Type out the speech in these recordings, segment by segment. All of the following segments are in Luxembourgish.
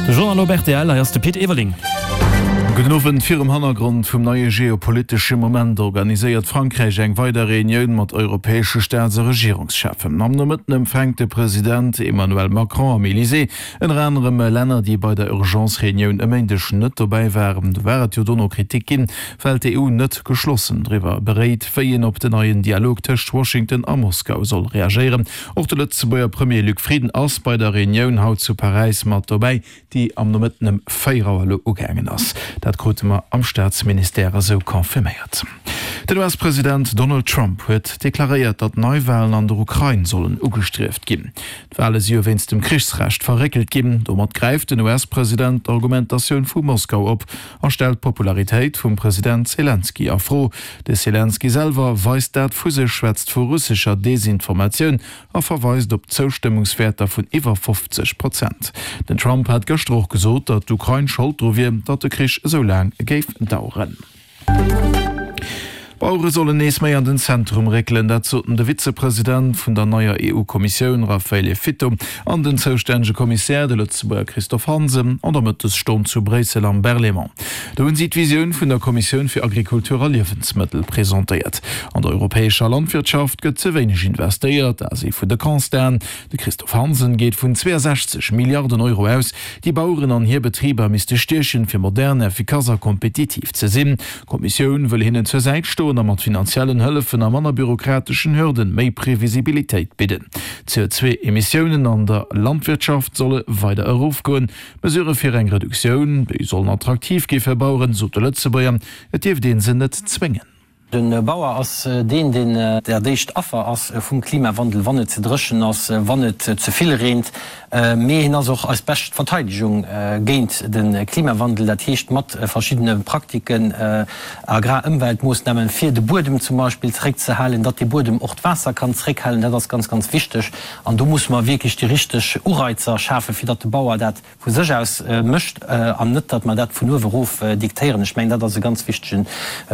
De Journal op rtl, hei ass de Pit Everling. Gudden Owend. Virum Hannergrond vum neie geopolitesche Moment organiséiert Frankräich eng weider Reunioun mat europäesche Staats a Regierungscheffen. Am Nomëtten empfänkt de President Emmanuel Macron am Elysée ënner anerem Länner, déi bei der Urgence-Reunioun e Méindeg net dobäi waren. Do war et jo dono Kritik ginn, well d'EU net geschlossen driwwer beréit, wéi een op den neien Dialog tëscht Washington a Moskau soll reagéieren. Och de Lëtzebuerger Premier Luc Frieden ass bei der Reunioun haut zu Paräis mat dobäi, déi am Nomëtten ëm 4 Auer elo ugaangen ass. Dat krute mer am Staatsministère esou confirméiert. Den US-President Donald Trump huet deklaréiert, datt Neiwalen an der Ukrain sollen ugestrieft ginn. D'Wale si jo wéinst dem Krichsrecht verréckelt ginn. Domat gräift den US-President d'Argumentatioun vu Moskau op a stellt d'Popularitéit vum President Selenskyj a Fro. De Selenskyj selwer weist dat vu sech, schwätzt vu russescher Desinformatioun a verweist op Zoustëmmungswäerter vun iwwer 50 Prozent. Den Trump hat gëschter och gesot, datt d'Ukrain Schold dru wier, datt de Krich esou laang géif daueren. D'Bauere sollen nees méi an den Zentrum réckelen, dat soten de Vizepresident vun der neier EU-Kommissioun Raffaele Fitto an den zoustännege Kommissär, de Lëtzebuerger Christophe Hansen, an der Mëttesstonn zu Bréissel am Berlaymont. Do hunn si d'Visioun vun der Kommissioun fir Agrikultur a Liewensmëttel presentéiert. An der europäescher Landwirtschaft gëtt ze wéineg investéiert, dat ass ee vun de Constaten. De Christophe Hansen geet vun 62 Milliarden Euro aus, déi Baueren an hir Betriber misste stiechen, fir modern, effikass a kompetitiv ze sinn. D'Kommissioun wëll hinnen zur Säit stoen a mat finanziellen Hëllefen a manner bürokrateschen Hürden méi Previsibilitéit bidden. D'CO2-Emissiounen an der Landwirtschaft solle weider erofgoen. Mesurë fir eng Reduktioun, déi sollen attraktiv gi fir Baueren, sot de Lëtzebuerger. Et dierft ee se net zwéngen. De Bauer ass deen, deen dat éischt Affer ass vum Klimawandel, wann et ze dréchen ass, wann et ze vill reent. Mee hien ass och eis bescht Verteidegung géint de Klimawandel, dat heescht mat verschiddene Praktiken, Agrarëmweltmoossnamen, fir de Buedem zum Beispill zeréckzehalen, datt dee Buedem och d'Waasser kann zeréckhalen. Dat ass ganz, ganz wichteg. An do musse mer wierklech déi richteg Ureizer schafen, fir datt de Bauer dat vu sech aus mécht an net, datt mer dat vun uewe erof diktéieren. Ech mengen, dat ass e ganz wichtegen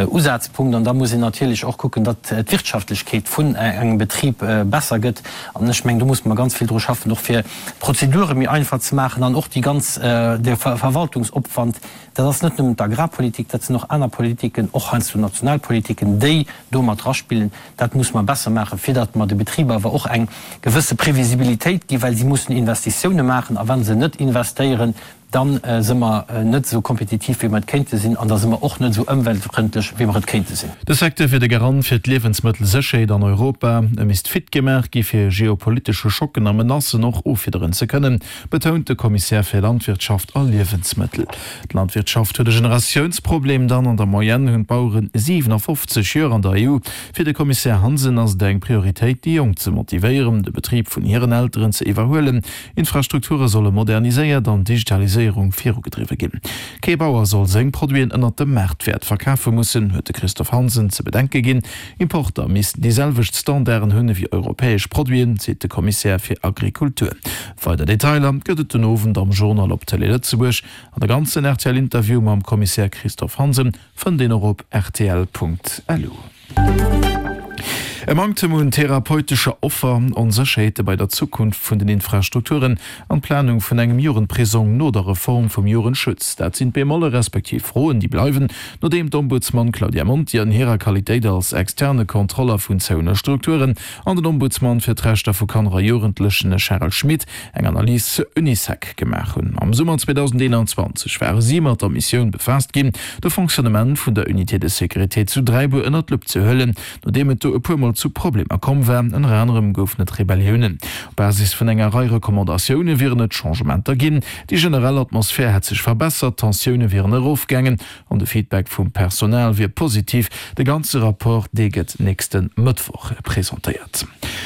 Usazpunkt. An da muss een natierlech och kucken, datt d'Wirtschaftlechkeet vun engem Betrib besser gëtt. An ech mengen, do musse mer ganz vill dru schaffen, och fir d'Prozedure méi einfach ze maachen an och déi ganz, de Verwaltungsopwand. Dat ass net nëmmen d'Agrarpolitik, dat sinn och aner Politiken, och heiansdo national Politiken, déi do mat draspillen. Dat musse mer besser maachen, fir datt mer de Betriber awer och eng gewësse Previsibilitéit ginn, well si mussen Investitioune maachen a wa se net investéieren, da si mer net esou kompetitiv, wéi mer et kéinte sinn an da si mer och net esou ëmweltfrëndlech, wéi mer et kéinte sinn. De Secteur wier de Garant fir d'Liewensmëttelsécherheet an Europa. E misst fit gemaach gi fir geopolitesche Schocken a Menacen och offiederen ze kënnen, betount de Kommissär fir Landwirtschaft a Liewensmëttel. D'Landwirtschaft huet e Generatiounsproblem, dann an der Moyenne hunn d'Baueren 57 Joer an der EU. Fir de Kommissär Hansen ass et eng Prioritéit, déi Jonk ze motivéieren, de Betrib vun hiren Elteren ze iwwerhuelen. Infrastrukture solle moderniséiert an d'Digitaliséierung virugedriwwe ginn. Kee Bauer soll seng Produiten ënnert dem Maartwäert verkafe mussen, huet de Christophe Hansen ze bedenke ginn. Importer missten déi selwecht Standarden hunn ewéi europäesch Produiten, seet de Kommissär fir Agrikultur. Weider Detailer gëtt et den Owend am Journal op Télé Lëtzebuerg. An de ganzen RTL-Interview mam Kommissär Christophe Hansen fënnt een och op rtl.lu. E Manktem un therapeutescher Offer, Onsécherheete bei der Zukunft vun den Infrastrukturen an d'Planung vun engem Jugendprisong no der Reform vum Jugendschutz, dat sinn d'Bemolle respektiv Froen, déi bleiwen, nodeem d'Ombudsman Claudia Monti an hirer Qualitéit als externe Kontroller vun zouene Strukturen an den Ombudsman fir d'Rechter vu Kanner a Jugendlechen Charel Schmit eng Analys zur Unisec gemaach hunn. Am Summer 2021 ware si mat der Missioun befaasst ginn, de Fonctionnement vun der Unité de sécurité zu Dräibuer ënnert d'Lupp ze huelen, nodeem et do e puer Mol zu Problemer komm war. Ënner anerem goufen et Rebelliounen. Op Basis vun enger Rei Recommandatioune wieren et Changementer ginn. Déi generell Atmosphär hätt sech verbessert, d'Tensioune wieren erofgaangen an de Feedback vum Personal wier positiv. De ganze Rapport, dee gëtt nächste Mëttwoch presentéiert.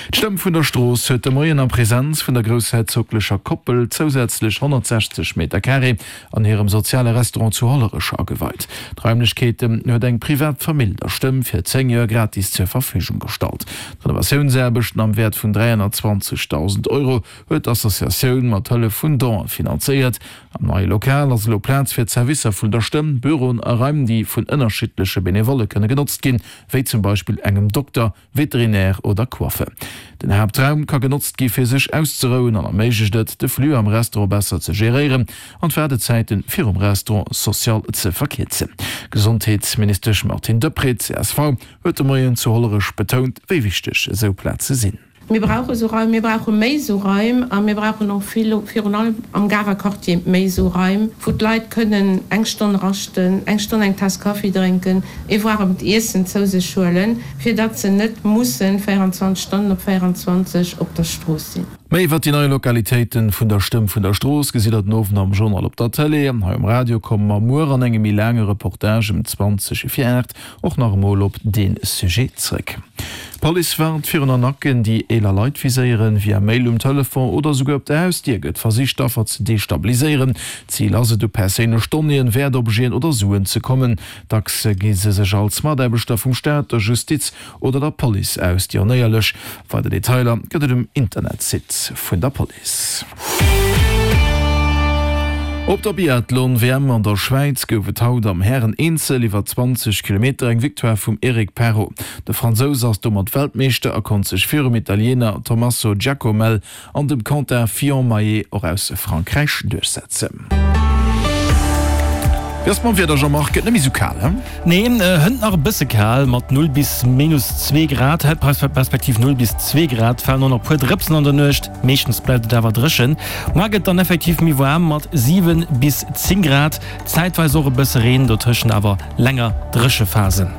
D'Stëmm vun der Strooss huet de Moien a Presenz vun der groussherzoglecher Koppel zousätzlech 160 Meter Carré an hirem soziale Restaurant zu Hollerech ageweit. D'Raimlechkeeten huet eng privat Famill der Stëmm fir 10 Joer gratis zur Verfügung gestallt. D'Renovatiounsaarbechten am Wäert vun 320.000 Euro huet d'Associatioun mat Hëllef vun Donen finanzéiert. Am neie Lokal ass elo Plaz fir d'Servicer vun der Stëmm, Büroen a Raim, déi vun ënnerschiddleche Benevolle kënne genotzt ginn, wéi zum Beispill engem Dokter, Veterinär oder Coiffer. Den Haaptraum ka genotzt gi fir sech auszerouen an erméiglecht et, de Flux am Restaurant besser ze geréieren an d'Waardezäite virum Restaurant social ze verkierzen. D'Gesondheetsministesch Martine Deprez, csv, huet de Moien zu Hollerech betount, wéi wichteg esou Plaze sinn. Mir brauche sou Raim, mir brauche méi sou Raim a mir brauchen och vill, virun allem am Garer Quartier, méi sou Raim, wou d'Leit kënnen eng Stonn raschten, eng Stonn eng Taass Kaffi drénken, ee waarmt Iessen zou sech huelen, fir datt se net mussen 24 Stonnen op 24 op der Strooss sinn. Méi iwwer déi nei Lokalitéiten vun der Stëmm vun der Strooss gesitt der den Owend am Journal op der Tëlee. Hei um Radio komme mer muer an engem méi laange Reportage ëm 20 vir 8 och nach emol op dee Sujet zréck. D'Police warnt virun Arnaquen, déi eeler Leit viséieren. Via Mail, um Telefon oder esouguer op der Hausdier gëtt versicht, d'Affer ze destabiliséieren. Zil ass et, u perséinlech Donnéeën, Wäertobjeten oder Suen ze kommen. Dacks gi se sech als Mataarbechter vum Staat, der Justiz oder der Police aus. Déi Onéierlech. Weider Detailer gëtt et um Internetsite vun der Police. Op der Biathlon-WM an der Schwäiz gouf et haut am Hären-Eenzel iwwer 20 Kilometer eng Victoire vum Eric Perrot. De Fransous ass domat Weltmeeschter a konnt sech virum Italiener Tommaso Giacomel an dem Quentin Fillon-Maillet och aus Frankräich duerchsetzen. Wéi ass et mam Wieder, Jean-Marc? Gëtt net méi sou kal, he? Nee, hënt nach e bësse kal mat 0 bis minus 2 Grad, respektiv 0 bis 2 Grad. Falen och nach e puer Drëpsen an der Nuecht, meeschtens bleift et awer dréchen. Muar gëtt dann effektiv méi waarm mat 7 bis 10 Grad, zäitweis och e bësse Reen, dotëschent awer länger dréche Phasen.